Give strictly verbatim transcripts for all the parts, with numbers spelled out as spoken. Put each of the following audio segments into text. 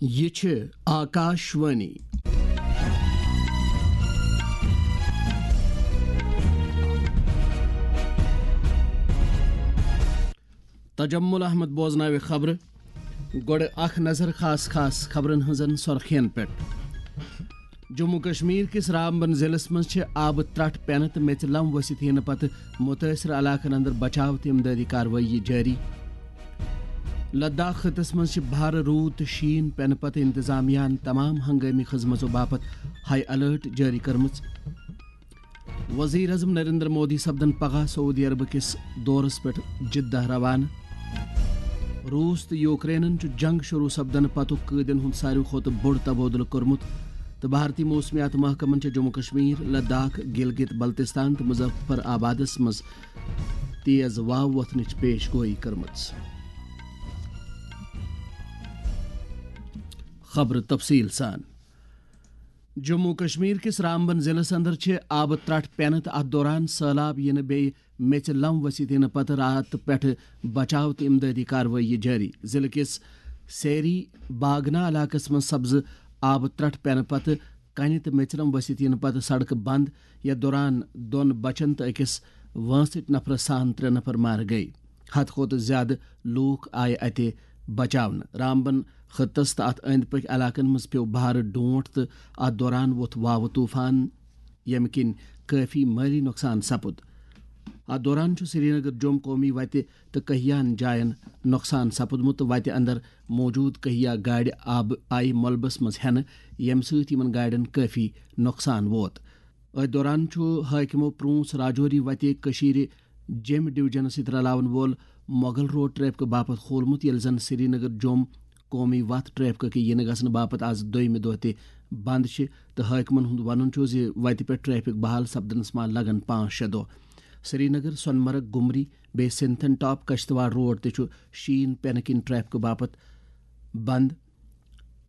یہِ چھِ آکاشوانی۔ تجمل احمد بوزناوِ خبرٕ۔ گۄڈٕ اکھ نظر خاص خاص خبرن ہٕنٛزن سۄرخین پٮ۪ٹھ۔ جموں کشمیر کِس رامبن ضلعس منٛز چھِ آبہٕ ترٛٹھ پٮ۪نہٕ تہٕ میٚژِ لم ؤسِتھ یِنہٕ پتہٕ مُتٲثرٕ علاقن اندر بچاو تہٕ امدادی کاروٲیی جٲری۔ لداخ خطس منٛز چھِ بھارٕ روٗد تہٕ شیٖن پٮ۪نہٕ پتہٕ انتظامیہ ہن تمام ہنگٲمی خدمژو باپتھ ہائی الرٹ جٲری کٔرمٕژ۔ وزیر اعظم نریندر مودی سپدن پگاہ سعودی عربہٕ کِس دورس پٮ۪ٹھ جدہ روانہٕ۔ روٗس تہٕ یوکرینن چھُ جنگ شروع سپدنہٕ پتُک قٲدٮ۪ن ہُنٛد ساروی کھۄتہٕ بوٚڑ تبادلہٕ کوٚرمُت تہٕ بھارتی موسمیات محکمن چھِ جموں کشمیر، لداخ، گلگت بلتستان تہٕ مظفر آبادس منٛز تیز واو وۄتھنٕچ پیش گویی کٔرمٕژ۔ خبرٕ تفصیٖل سان۔ جموں کشمیر کِس رامبن ضلعس اندر چھِ آبہٕ ترٛٹھ پٮ۪نہٕ تہٕ اتھ دوران سٔہلاب یِنہٕ بیٚیہِ میٚژِ لم ؤسِتھ یِنہٕ پتہٕ راتہٕ پٮ۪ٹھٕ بچاو تہٕ امدادی کاروٲیی جٲری۔ ضلعہٕ کِس سیری باگنا علاقس منٛز سپزٕ آبہٕ ترٛٹھ پٮ۪نہٕ پتہٕ کنہِ تہٕ میٚژِ لم ؤسِتھ یِنہٕ پتہٕ سڑکہٕ بند، یتھ دوران دۄن بچن تہٕ أکِس وٲنٛسٕٹۍ نفرس سان ترٛےٚ نفر مارٕ گٔیہِ۔ ہتہٕ کھۄتہٕ زیادٕ لوٗکھ آیہِ اتہِ بچاونہٕ۔ رامبن خطس تہٕ اتھ أنٛدۍ پٔکۍ علاقن منٛز پیوٚو بھارٕ ڈونٛٹھ تہٕ اتھ دوران ووٚتھ واوٕ طوفان، ییٚمہِ کِنۍ کٲفی مٲلی نۄقصان سپُد۔ اتھ دوران چھُ سرینگر جوٚم قومی وتہِ تہٕ کہیاہن جاین نۄقصان سپُدمُت تہٕ وتہِ اندر موجود کہیا گاڑِ آبہٕ آیہِ ملبس منٛز ہٮ۪نہٕ، ییٚمہِ سۭتۍ یِمن گاڑٮ۪ن کٲفی نۄقصان ووت۔ أتھۍ دوران چھُ حٲکمو پرونس راجوری وتہِ کٔشیٖرِ جیٚمۍ ڈویژنس سۭتۍ رلاون وول مغل روڈ ٹریفکہٕ باپتھ کھولمُت، ییٚلہِ زن سرینگر جوٚم قومی وتھ ٹریفکہٕ کہِ یِنہٕ گژھنہٕ باپتھ آز دوٚیمہِ دۄہ تہِ بند چھِ، تہٕ حٲکمن ہُنٛد ونُن چھُ زِ وتہِ پٮ۪ٹھ ٹریفک بحال سپدنس ما لگن پانٛژھ شےٚ دۄہ۔ سرینگر، سۄنہٕ مرگ، گُمری، بیٚیہِ سنتھن ٹاپ کشتواڑ روڈ تہِ چھُ شیٖن پٮ۪نہٕ کِنۍ ٹریفکہٕ باپتھ بند۔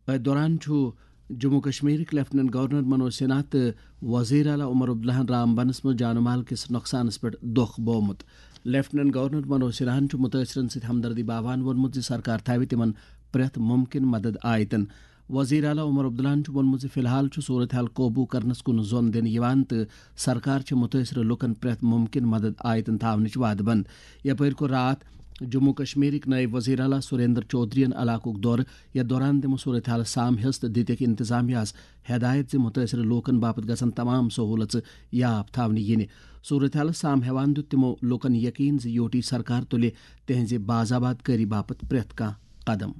أتھۍ دوران چھُ جموں کشمیرٕکۍ لیفٹیننٹ گورنر منوج سنہا تہٕ وزیر اعلیٰ عمر عبداللہن رام بنس منٛز جان و مال کِس نۄقصانس پٮ۪ٹھ دۄکھ بوومُت۔ لیفٹیننٹ گورنر منوج سنہاہن چھُ مُتٲثرن سۭتۍ ہمدردی باوان ووٚنمُت زِ سرکار تھاوِ تِمن پرٛٮ۪تھ مُمکِن مدد آیتن۔ وزیر اعلیٰ عمر عبداللہن چھُ ووٚنمُت زِ فی الحال چھُ صورت حال قوبوٗ کرنس کُن زوٚن دِنہٕ یِوان تہٕ سرکار چھِ مُتٲثرٕ لُکن پرٛٮ۪تھ مُمکِن مدد آیتن تھاونٕچ وعدٕ بنٛد۔ یپٲرۍ کوٚر راتھ جموں کشمیرٕکۍ نٲیِب وزیر اعلیٰ سریندر چودھرین علاقُک دورٕ، یتھ دوران تِمو صورت حال سام ہیٚژ تہٕ دِتِکھ انتظامیہ ہس ہدایت زِ مُتٲثرٕ لوٗکن باپتھ گژھن تمام سہوٗلژٕ یاف تھاونہٕ یِنہِ۔ صورت حال سام ہیوان دیُت تِمو لوٗکن یقین زِ یوٹی سرکار تُلہِ تِہنزِ باضاباد کٲری باپتھ پرٛٮ۪تھ کانٛہہ قدم۔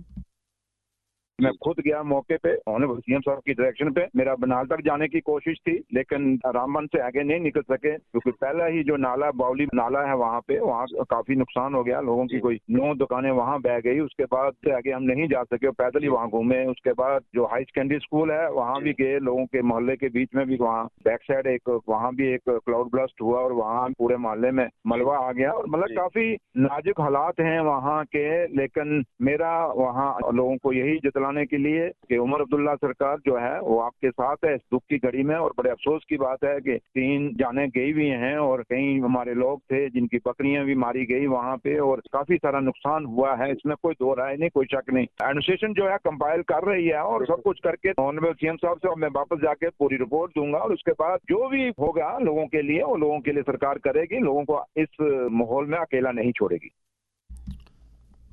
میں خود گیا موقع پہ، آنریبل سی ایم صاحب کی ڈائریکشن پہ۔ میرا بنال تک جانے کی کوشش تھی، لیکن رامبن سے آگے نہیں نکل سکے، کیونکہ پہلا ہی جو نالا، باؤلی نالا ہے، وہاں پہ، وہاں کافی نقصان ہو گیا، لوگوں کی کوئی نو دکانیں وہاں بہ گئی۔ اس کے بعد سے آگے ہم نہیں جا سکے، پیدل ہی وہاں گھومے۔ اس کے بعد جو ہائی سیکنڈری اسکول ہے، وہاں بھی گئے، لوگوں کے محلے کے بیچ میں بھی، وہاں بیک سائڈ ایک، وہاں بھی ایک کلاؤڈ برسٹ ہوا اور وہاں پورے محلے میں ملبہ آ گیا۔ اور مطلب، جی، کافی نازک حالات ہیں وہاں کے، لیکن میرا وہاں لوگوں کو یہی جتلانے کے لیے کہ عمر عبداللہ سرکار جو ہے، وہ آپ کے ساتھ ہے اس دکھ کی گھڑی میں۔ اور بڑے افسوس کی بات ہے کہ تین جانیں گئی ہوئی ہیں اور کئی ہمارے لوگ تھے جن کی بکریاں بھی ماری گئی وہاں پہ اور کافی سارا نقصان ہوا ہے، اس میں کوئی دو رائے نہیں، کوئی شک نہیں۔ ایڈمنسٹریشن جو ہے، کمپائل کر رہی ہے اور سب کچھ کر کے آنریبل سی ایم صاحب سے میں واپس جا کے پوری رپورٹ دوں گا اور اس کے بعد جو بھی ہوگا لوگوں کے لیے، وہ لوگوں کے لیے سرکار کرے گی، لوگوں کو اس ماحول میں اکیلا نہیں چھوڑے گی۔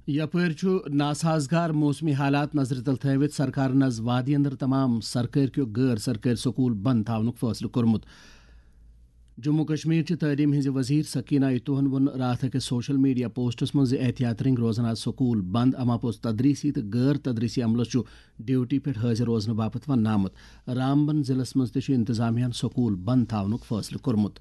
یپٲرۍ چھُ ناسازگار موسمی حالات نظرِ تل تھٲوِتھ سرکارن از وادی اندر تمام سرکٲرۍ کیو غٲر سرکٲرۍ سکوٗل بند تھاونُک فٲصلہٕ کوٚرمُت۔ جموں کشمیر چہِ تعلیٖم ہٕنٛزِ وزیر سکینہ اتوہن ووٚن راتھ أکِس سوشل میڈیا پوسٹس منٛز زِ احتیاط رٔنگۍ روزن از سکوٗل بند، اما پوٚز تدریسی تہٕ غٲر تدریسی عملس چھُ ڈیوٹی پٮ۪ٹھ حٲضِر روزنہٕ باپتھ وننہٕ آمُت۔ رامبن ضلعس منٛز تہِ چھُ انتظامیہ ہن سکوٗل بند تھاونُک فٲصلہٕ کوٚرمُت۔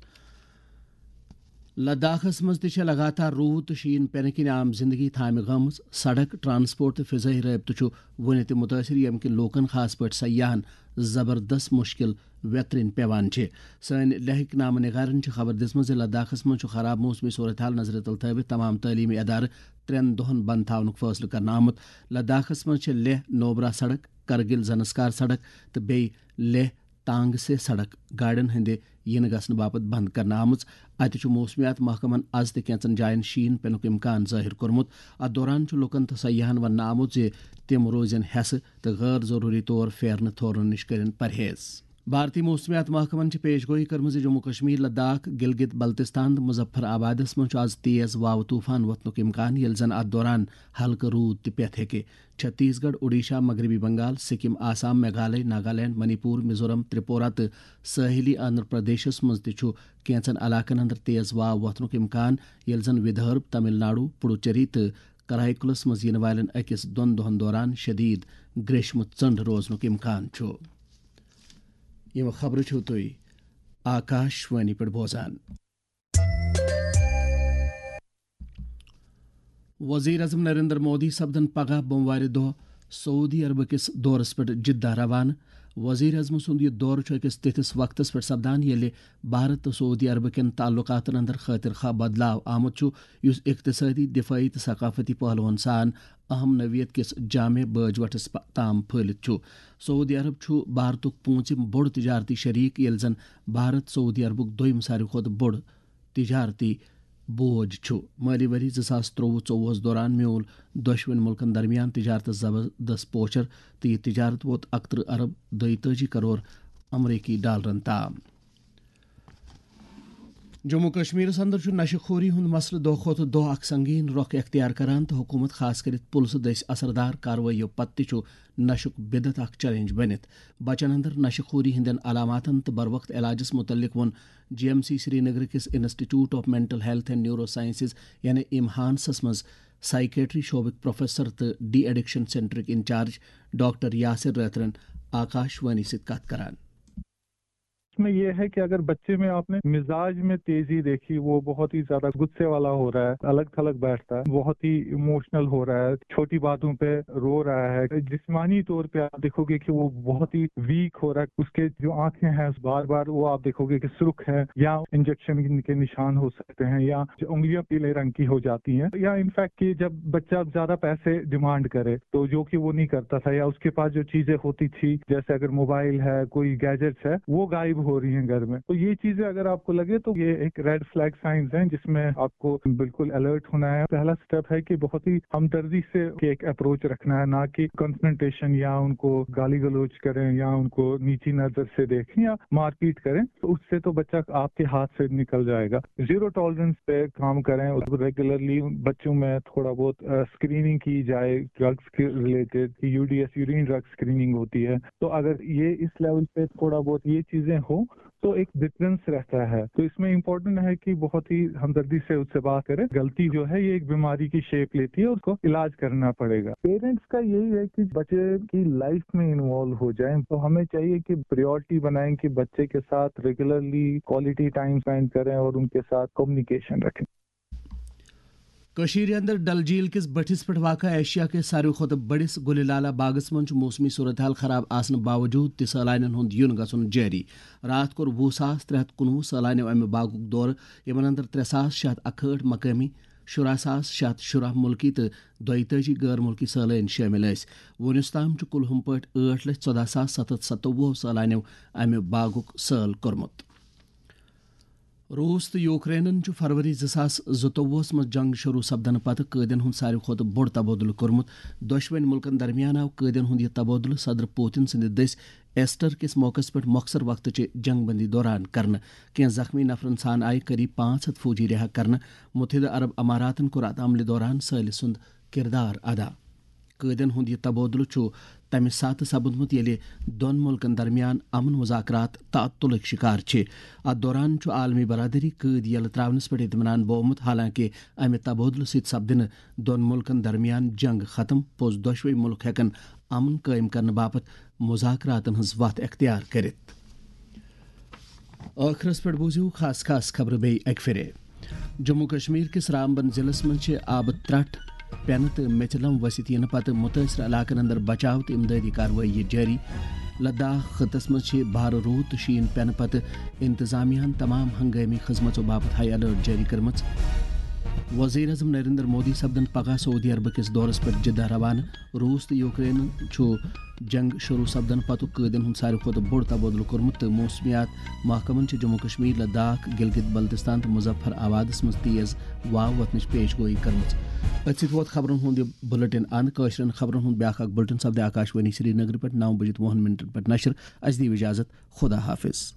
لداخس منٛز تہِ چھےٚ لگاتار روٗد تہٕ شیٖن پٮ۪نہٕ کِنۍ عام زندگی تھامہِ گٔمٕژ۔ سڑک، ٹرانسپورٹ تہٕ فضٲیی رٲبطہٕ چھُ وُنہِ تہِ مُتٲثِر، ییٚمہِ کِنۍ لوٗکن، خاص پٲٹھۍ سیاحن، زبردست مُشکِل ویترِنۍ پٮ۪وان چھِ۔ سٲنۍ لیکھٕکۍ نامہٕ نِگارن چھِ خبر دِژمٕژ زِ لداخس منٛز چھُ خراب موسمی صورتحال نظرِ تل تھٲوِتھ تمام تعلیمی ادارٕ ترٛٮ۪ن دۄہن بند تھاونُک فٲصلہٕ کرنہٕ آمُت۔ لداخس منٛز چھِ لیہہ نوبرا سڑک، کرگِل زنسکار سڑک تہٕ بیٚیہِ لیہہ ٹانگ سے سڑک گاڑٮ۪ن ہٕنٛدِ یِنہٕ گژھنہٕ باپتھ بنٛد کرنہٕ آمٕژ۔ اَتہِ چھُ موسمیات محکمَن از تہِ کینٛژن جایَن شیٖن پینُک امکان ظٲہِر کوٚرمُت۔ اَتھ دوران چھُ لوٗکَن تہٕ سیاحَن وَننہٕ آمُت زِ تِم روزن ہٮ۪سہٕ تہٕ غٲر ضروٗری طور پھیرنہٕ تھورنہٕ نِش کٔرِن پرہیز۔ بھارتی موسمیات محکمَن چھِ پیش گویی کٔرمٕژ زِ جموں کشمیر، لداخ، گلگت بلتستان تہٕ مظفر آبادَس منٛز چھُ از تیز واوٕ طوفان وۄتھنُک امکان، ییٚلہِ زن اَتھ دوران ہلکہٕ روٗد تہِ پٮ۪تھ ہیٚکہِ۔ چھتیس گڑھ، اوڈیشہ، مغربی بنگال، سکم، آسام، میگھالیہ، ناگالینڈ، منی پور، میزورم، تریپورہ تہٕ ساحلی آندھرا پردیشس منٛز تہِ چھُ کینٛژن علاقن اندر تیز واو وۄتھنُک امکان، ییٚلہِ زن ودھرب، تمل ناڈو، پڈوچیری تہٕ کرائیکلس منٛز یِنہٕ والٮ۪ن أکِس دۄن دۄہن دوران شدید گریشمہٕ ژٔنڈ روزنُک امکان چھُ۔ یِم خبرٕ چھِو تُہۍ آکاش وانی پٮ۪ٹھ بوزان۔ وزیر اعظم نریندر مودی سپدن پگاہ بوموارِ دۄہ سعودی عربہٕ کِس دورس پٮ۪ٹھ جدہ روانہٕ۔ وزیر اعظم سُنٛد یہِ دورٕ چھُ أکِس تِتھِس وقتس پٮ۪ٹھ سپدان، ییٚلہِ بھارت تہٕ سعودی عربہٕ کٮ۪ن تعلقاتن اندر خٲطر خواہ بدلاو آمُت چھُ، یُس اقتصٲدی، دفٲعی تہٕ ثقافتی پہلوَن سان اہم نوعیت کِس جامع بٲج وٹس پ-، تام پھٔہلِتھ چھُ۔ سعودی عرب چھُ بھارتُک پوٗنٛژِم بوٚڑ تجارتی شریک، ییٚلہِ زن بھارت سعودی عربُک دوٚیِم ساروی کھۄتہٕ بوٚڑ تجارتی بوج چھُ۔ مٲلی ؤری زٕ ساس ترٛوٚوُہ ژوٚوُہس دوران میوٗل دۄشوٕنۍ مُلکن درمیان تجارتس زبردست پوچھر، تہٕ یہِ تجارت ووت اکترٕہ ارب دۄیتٲجی کرور امریکی ڈالرن تام۔ جموں کشمیرس اندر چھُ نشہٕ خوری ہُنٛد مسلہٕ دۄہ کھۄتہٕ دۄہ اکھ سنگین رۄخ اختیار کران، تہٕ حکومت، خاص کٔرِتھ پُلسہٕ دٔسۍ اثردار کاروٲییو پتہٕ تہِ چھُ نشُک بدعت اکھ چیلنج بٔنِتھ۔ بچن اندر نشہٕ خوری ہٕنٛدٮ۪ن علاماتن تہٕ بروقت علاجس متعلق ووٚن جی ایم سی سرینگر کِس institute of mental health and neurosciences, یعنی امہانسس منٛز سائیکیٹری شعبٕکۍ پروفیسر تہٕ ڈی ایڈکشن سینٹرٕکۍ انچارج ڈاکٹر یاسر رٲترَن آکاش وانی سۭتۍ کتھ کران۔ اس میں یہ ہے کہ اگر بچے میں آپ نے مزاج میں تیزی دیکھی، وہ بہت ہی زیادہ غصے والا ہو رہا ہے، الگ تھلگ بیٹھتا ہے، بہت ہی ایموشنل ہو رہا ہے، چھوٹی باتوں پہ رو رہا ہے، جسمانی طور پہ آپ دیکھو گے کہ وہ بہت ہی ویک ہو رہا ہے، اس کے جو آنکھیں ہیں بار بار وہ آپ دیکھو گے کہ سرخ ہے، یا انجیکشن کے نشان ہو سکتے ہیں، یا انگلیاں پیلے رنگ کی ہو جاتی ہیں، یا انفیکٹ کہ جب بچہ زیادہ پیسے ڈیمانڈ کرے تو جو کہ وہ نہیں کرتا تھا، یا اس کے پاس جو چیزیں ہوتی تھی، جیسے اگر موبائل ہے، کوئی گیجٹس ہے، وہ غائب ہو رہی ہیں گھر میں۔ تو یہ چیزیں اگر آپ کو لگے تو یہ ایک ریڈ فلیگ سائنز ہیں، جس میں آپ کو بالکل الرٹ ہونا ہے۔ پہلا اسٹیپ ہے کہ بہت ہی ہمدردی سے ایک اپروچ رکھنا ہے، نہ کہ کنفرنٹیشن یا ان کو گالی گلوچ کریں یا ان کو نیچی نظر سے دیکھیں یا مار پیٹ کریں، تو اس سے تو بچہ آپ کے ہاتھ سے نکل جائے گا۔ زیرو ٹالرنس پہ کام کریں اور ریگولرلی بچوں میں تھوڑا بہت اسکریننگ کی جائے، ڈرگس کے related, U D S, urine drug screening ہوتی ہے، تو اگر یہ اس لیول پہ تھوڑا بہت یہ چیزیں ہو تو ایک ڈفرنس رہتا ہے۔ تو اس میں امپورٹنٹ ہے کہ بہت ہی ہمدردی سے اس سے بات کریں۔ غلطی جو ہے یہ ایک بیماری کی شیپ لیتی ہے، اس کو علاج کرنا پڑے گا۔ پیرنٹس کا یہی ہے کہ بچے کی لائف میں انوالو ہو جائیں، تو ہمیں چاہیے کہ پریورٹی بنائیں کہ بچے کے ساتھ ریگولرلی کوالٹی ٹائم اسپینڈ کریں اور ان کے ساتھ کمیونیکیشن رکھیں۔ کٔشیٖرِ اندر ڈل جھیل کِس بٔٹھِس پٮ۪ٹھ واقع ایشیا کِس ساروی کھۄتہٕ بٔڑِس گُلہِ لالا باغس منٛز چھُ موسمی صورتحال خراب آسنہٕ باوجوٗد تہِ سٲلانٮ۪ن ہُنٛد یُن گژھُن جٲری۔ راتھ کوٚر وُہ ساس ترٛےٚ ہَتھ کُنوُہ سٲلانیو امہِ باغُک دورٕ، یِمن اندر ترٛےٚ ساس شےٚ ہَتھ اَکہٲٹھ مقٲمی، شُراہ ساس شےٚ ہَتھ شُراہ مُلکی تہٕ دۄیتٲجی غٲر مُلکی سٲلٲنۍ شٲمِل ٲسۍ۔ وُنیُس تام چھُ کُلہُم پٲٹھۍ ٲٹھ لَچھ ژۄداہ ساس ستھ ہَتھ ستووُہ سٲلانیو امہِ باغُک سٲل کوٚرمُت۔ روٗس تہٕ یوکرینَن چھُ فروری زٕ ساس زٕتووُہَس منٛز جنگ شروع سپدنہٕ پتہٕ قٲدٮ۪ن ہُنٛد ساروی کھۄتہٕ بوٚڑ تبادلہٕ کوٚرمُت۔ دۄشوٕنۍ مُلکَن درمیان آو قٲدٮ۪ن ہُنٛد یہِ تبادلہٕ صدر پوتن سٕنٛدِ دٔسۍ ایسٹر کِس موقعس پٮ۪ٹھ مۄخصر وقتٕچہِ جنگ بندی دوران کرنہٕ۔ کینٛہہ زخمی نفرَن سان آیہِ قریب پانٛژھ ہَتھ فوجی رہا کرنہٕ۔ متحدہ عرب اماراتَن کوٚر اتھ عملہِ دوران سٲلہِ سُنٛد کردار ادا۔ قٲدٮ۪ن ہُنٛد یہِ تبادلہٕ چھُ تَمہِ ساتہٕ سپُدمُت، ییٚلہِ دۄن مُلکَن درمیان امن مذاکرات تعطلٕکۍ شکار چھِ۔ اتھ دوران چھُ عالمی برادری قٲدۍ یَلہٕ ترٛاونَس پٮ۪ٹھ اطمینان بوومُت، حالانکہ امہِ تبادلہٕ سۭتۍ سپدِ نہٕ دۄن مُلکَن درمیان جنگ ختم، پوٚز دۄشوٕے مُلک ہٮ۪کَن امن قٲیِم کرنہٕ باپتھ مذاکراتَن ہٕنٛز وتھ اختیار کٔرِتھ۔ ٲخرس پٮ۪ٹھ بوٗزِو خاص خاص خبرٕ بیٚیہِ اَکہِ پھِرِ۔ جموں کشمیر کِس رامبن ضلعس منٛز چھِ آبہٕ ترٛٹھ پٮ۪نہٕ تہٕ میٚژِ لم ؤسِتھ یِنہٕ پتہٕ مُتٲثرٕ علاقن اندر بچاو تہٕ امدادی کاروٲیی جٲری۔ لداخ خطس منٛز چھِ بھارٕ روٗد تہٕ شیٖن پٮ۪نہٕ پتہٕ انتظامیہ ہن تمام ہنگٲمی خدمژو باپتھ ہائی الرٹ جٲری کٔرمٕژ۔ وزیر اعظم نریندر مودی سپدن پگاہ سعودی عربہٕ کِس دورس پٮ۪ٹھ جدہ روانہٕ۔ روٗس تہٕ یوکرینن چھُ جنگ شروع سپدن پتُک قٲدین ہُنٛد ساروی کھۄتہٕ بوٚڑ تبادلہٕ کوٚرمُت تہٕ موسمیات محکمن چھِ جموں کشمیر، لداخ، گلگت بلتستان تہٕ مظفر آبادس منٛز تیز واو وۄتھنٕچ پیش گویی کٔرمٕژ۔ أتھۍ سۭتۍ ووت خبرن ہُنٛد یہِ بُلٹن اند۔ کٲشرٮ۪ن خبرن ہُنٛد بیٛاکھ اکھ بُلٹن سپدِ آکاشوانی سرینگرٕ پٮ۪ٹھ نو بجے وُہن منٹن پٮ۪ٹھ نشر۔ اسہِ دِیِو اجازت، خدا حافظ۔